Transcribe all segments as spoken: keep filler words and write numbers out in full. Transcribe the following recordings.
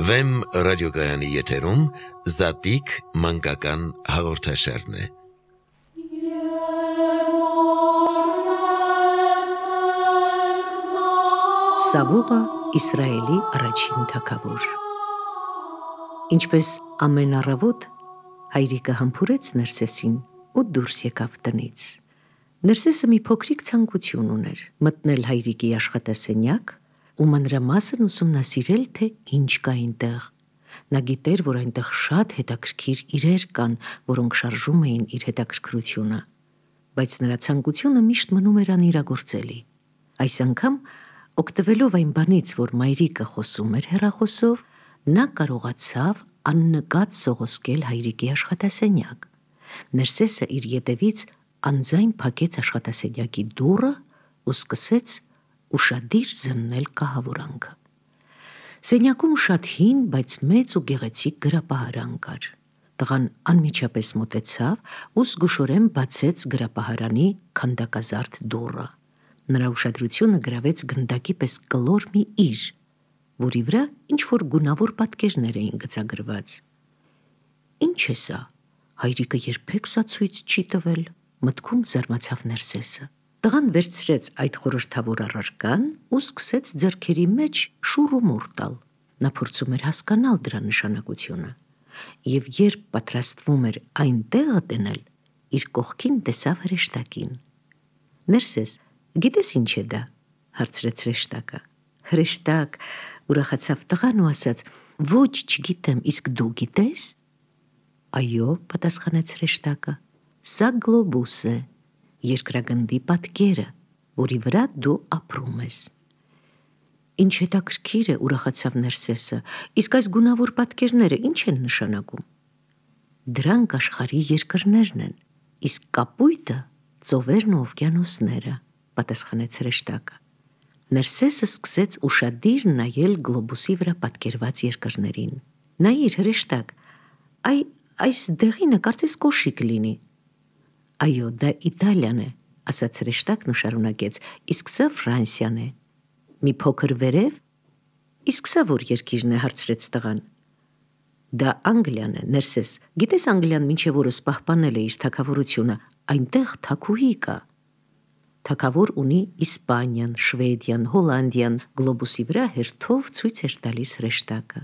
Վեմ ռադիոգայանի եթերում Զատիկ մանկական հաղորդաշարն է։ Սավուղը Իսրայելի առաջին թագավոր։ Ինչպես ամեն առավոտ հայրիկը համբուրեց Ներսեսին ու դուրս եկավ տնից։ Ներսեսը մի փոքրիկ ցանկություն ուներ՝ մտնել հայրիկի աշխատասենյակ ու մանրամասն ուսումնասիրել, թե ինչ կա այնտեղ։ Նա գիտեր, որ այնտեղ շատ հետաքրքիր իրեր կան, որոնք շարժում էին իր հետաքրքրությունը, բայց նրա ցանկությունը միշտ մնում էր անիրագործելի։ Այս անգամ, օգտվելով այն բանից, որ մայրիկը խոսում էր հեռախոսով, նա կարողացավ աննկատ սողոսկել հայրիկի աշխատասենյակ։ Ներսեսը իր ետևից անձայն փակեց աշխատասենյակի դուռը ու սկսեց ուշադիր զննել կահավորանքը։ Սենյակում շատ հին, բայց մեծ ու գեղեցիկ գրապահարան կար։ Տղան անմիջապես մոտեցավ ու զգուշորեն բացեց գրապահարանի քանդակազարդ դուռը։ Նրա ուշադրությունը գրավեց գնդակի պես կլոր մի իր, որի վրա ինչ-որ գունավոր պատկերներ էին գծագրված։ Ինչ է սա, հայրիկը երբեք սա ցույց չի տվել, մտքում զարմացավ Ներսեսը։ Տղան վերցրեց այդ խորհրդավոր առարկան ու սկսեց ձեռքերի մեջ շուռ ու մուռ տալ։ Նա փորձում էր հասկանալ դրա նշանակությունը, և երբ պատրաստվում էր այն տեղը դնել, իր կողքին տեսավ հրեշտակին։ Ներսես, գիտես ինչ է դա, հարցրեց հրեշտակը։ Հրեշտակ, ուրախացավ տղան ու ասաց. ոչ, չգիտեմ, իսկ դու գիտես։ Այո, պատասխանեց հրեշտակը, սա գլոբուս է, երկրագնդի պատկերը, որի վրա դու ապրում ես։ Ինչ հետաքրքիր է, ուրախացավ Ներսեսը, իսկ այս գունավոր պատկերները ինչ են նշանակում։ Դրանք աշխարհի երկրներն են, իսկ կապույտը ծովերն ու օվկիանոսները, պատասխանեց հրեշտակը։ Ներսեսը սկսեց ուշադիր նայել գլոբուսի վրա պատկերված երկրներին։ Նայիր, հրեշտակ, այ այս դեղինը կարծես կոշիկ լինի։ Այո, դա Իտալիան է, ասաց հրեշտակն ու շարունակեց, իսկ սա Ֆրանսիան է։ Մի փոքր վերև, իսկ սա որ երկիրն է, հարցրեց տղան։ Դա Անգլիան է, Ներսես, գիտես Անգլիան մինչև օրս պահպանել է իր թագավորությունը, այնտեղ թագուհի կա։ Թագավոր ունի Իսպանիան, Շվեդիան, Հոլանդիան, գլոբուսի վրա հերթով ցույց էր տալիս հրեշտակը։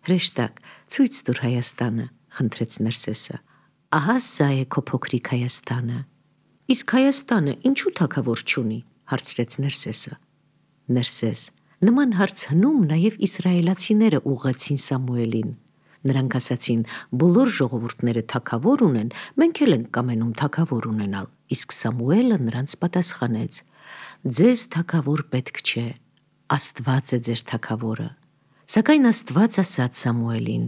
Հրեշտակ, ցույց տուր Հայաստանը, խնդրեց Ներսեսը։ Ահա սա է քո փոքրիկ Հայաստանը։ Իսկ Հայաստանը ինչու թագավոր չունի, հարցրեց Ներսեսը։ Ներսես, նման հարց հնում նաև իսրայելացիները ուղղեցին Սամուելին։ Նրանք ասացին. բոլոր ժողովուրդները թագավոր ունեն, մենք էլ ենք կամենում թագավոր ունենալ, իսկ Սամուելը նրանց պատասխանեց. ձեզ թագավոր պետք չէ, Աստված է ձեր թագավորը։ Սակայն Աստված ասաց Սամուելին.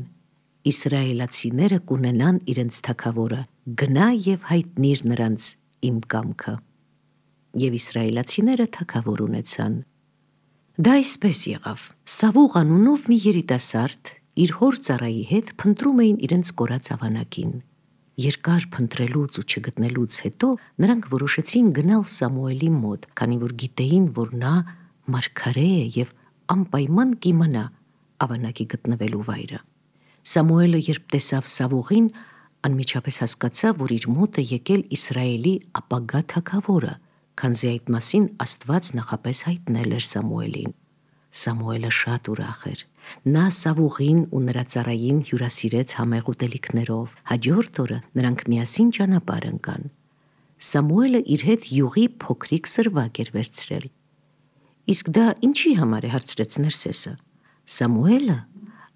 իսրայելացիները կունենան իրենց թագավորը, գնա և հայտնիր նրանց իմ կամքը։ Եվ իսրայելացիները թագավոր ունեցան։ Դա այսպես եղավ. Սավուղ անունով մի երիտասարդ իր հոր ծառայի հետ փնտրում էին իրենց կորած ավանակին։ Երկար փնտրելուց ու չգտնելուց հետո նրանք որոշեցին գնալ Սամուելի մոտ, քանի որ գիտեին, որ նա մարգարե է և անպայման կիմանա ավանակի գտնվելու վայրը։ Սամուելը երբ տեսավ Սավուղին, անմիջապես հասկացավ, որ իր մոտ է եկել Իսրայելի ապագա թագավորը, քանզի այդ մասին Աստված նախապես հայտնել էր Սամուելին։ Սամուելը շատ ուրախ էր։ Նա Սավուղին ու նրա ծառային հյուրասիրեց համեղ ուտելիքներով։ Հաջորդ օրը նրանք միասին ճանապարհ ընկան։ Սամուելը իր հետ յուղի փոքրիկ սրվակ էր վերցրել։ Իսկ դա ինչի համար է, հարցրեց Ներսեսը։ Սամուելը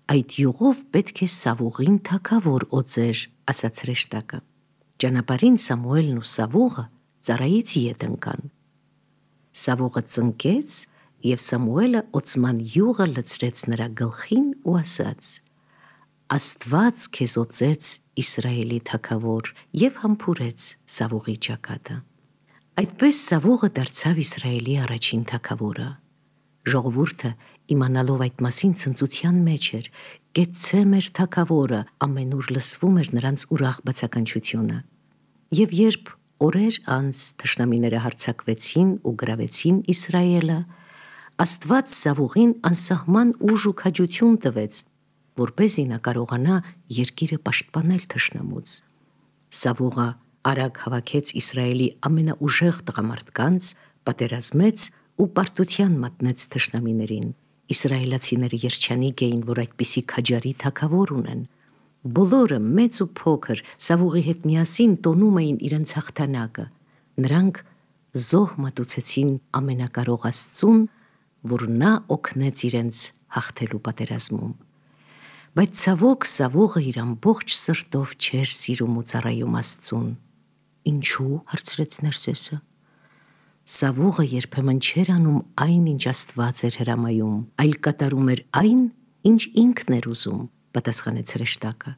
այդ յուղով պետք է Սավուղին թագավոր օծեր, ասաց հրեշտակը։ Ճանապարհին Սամուելն ու Սավուղը ծառայից ետ ընկան։ Սավուղը ծնկեց, և Սամուելը օծման յուղը լցրեց նրա գլխին ու ասաց. Աստված քեզ օծեց Իսրայելի թագավոր, և համբուրեց Սավուղի ճակատը։ Այդպես Սավուղը դարձավ Իսրայելի առաջին թագավորը։ Ժողովուրդը, իմանալով այդ մասին, ցնծության մեջ էր։ Կեցցե մեր թագավորը, ամենուր լսվում էր նրանց ուրախ բացականչությունը։ Եվ երբ օրեր անց թշնամիները հարձակվեցին ու գրավեցին Իսրայելը, Աստված Սավուղին անսահման ուժ ու քաջություն տվեց, որպեսզի նա կարողանա երկիրը պաշտպանել թշնամուց։ Սավուղը արագ հավաքեց Իսրայելի ամենաուժեղ տղամարդկանց, պատերազմեց ու պարտության մատնեց թշնամիներին։ Իսրայելացիները երջանիկ էին, որ այդպիսի քաջարի թագավոր ունեն։ Բոլորը, մեծ ու փոքր, Սավուղի հետ միասին տոնում էին իրենց հաղթանակը։ Նրանք զոհ մատուցեցին ամենակարող Աստծուն, որ նա օգնեց իրենց հաղթելու պատերազմում։ Բայց ցավոք Սավուղը իր ամբողջ սրտով չէր սիրում ու ծառայում Աստծուն։ Ինչու՞, հարցրեց Ներսեսը։ Սավուղը երբեմն չէր անում այն, ինչ Աստված էր հրամայում, այլ կատարում էր այն, ինչ ինքն էր ուզում, պատասխանեց հրեշտակը։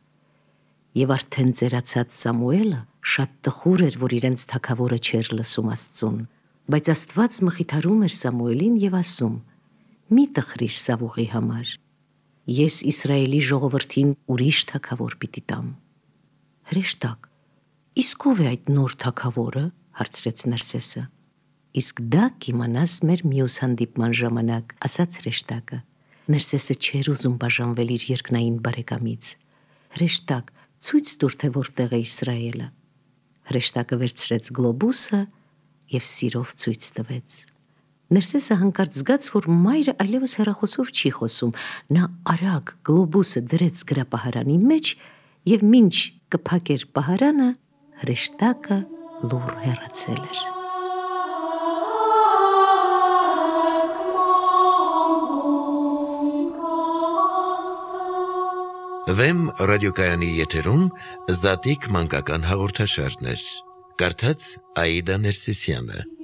Եվ արդեն ծերացած Սամուելը շատ տխուր էր, որ իրենց թագավորը չէր լսում Աստծուն, բայց Աստված մխիթարում էր Սամուելին եւ ասում. «Մի տխրիր Սավուղի համար, ես Իսրայելի ժողովրդին ուրիշ թագավոր պիտի տամ»։ Հրեշտակ, իսկ ով է այդ նոր թագավորը, հարցրեց Ներսեսը։ Իսկ դա կիմանաս մեր մյուս հանդիպման ժամանակ, ասաց հրեշտակը։ Ներսեսը չէր ուզում բաժանվել իր երկնային բարեկամից։ Հրեշտակ, ցույց տուր, թե որտեղ է Իսրայելը։ Հրեշտակը վերցրեց գլոբուսը եւ սիրով ցույց տվեց։ Ներսեսը հանկարծ զգաց, որ մայրը այլևս հեռախոսով չի խոսում։ Նա արագ գլոբուսը դրեց գրապահարանի մեջ եւ մինչ կփակեր պահարանը, հրեշտակը լուռ հեռացել էր։ Վեմ ռադիոկայանի եթերում Զատիկ մանկական հաղորդաշարներ։ Կարդաց Աիդա Ներսիսյանը։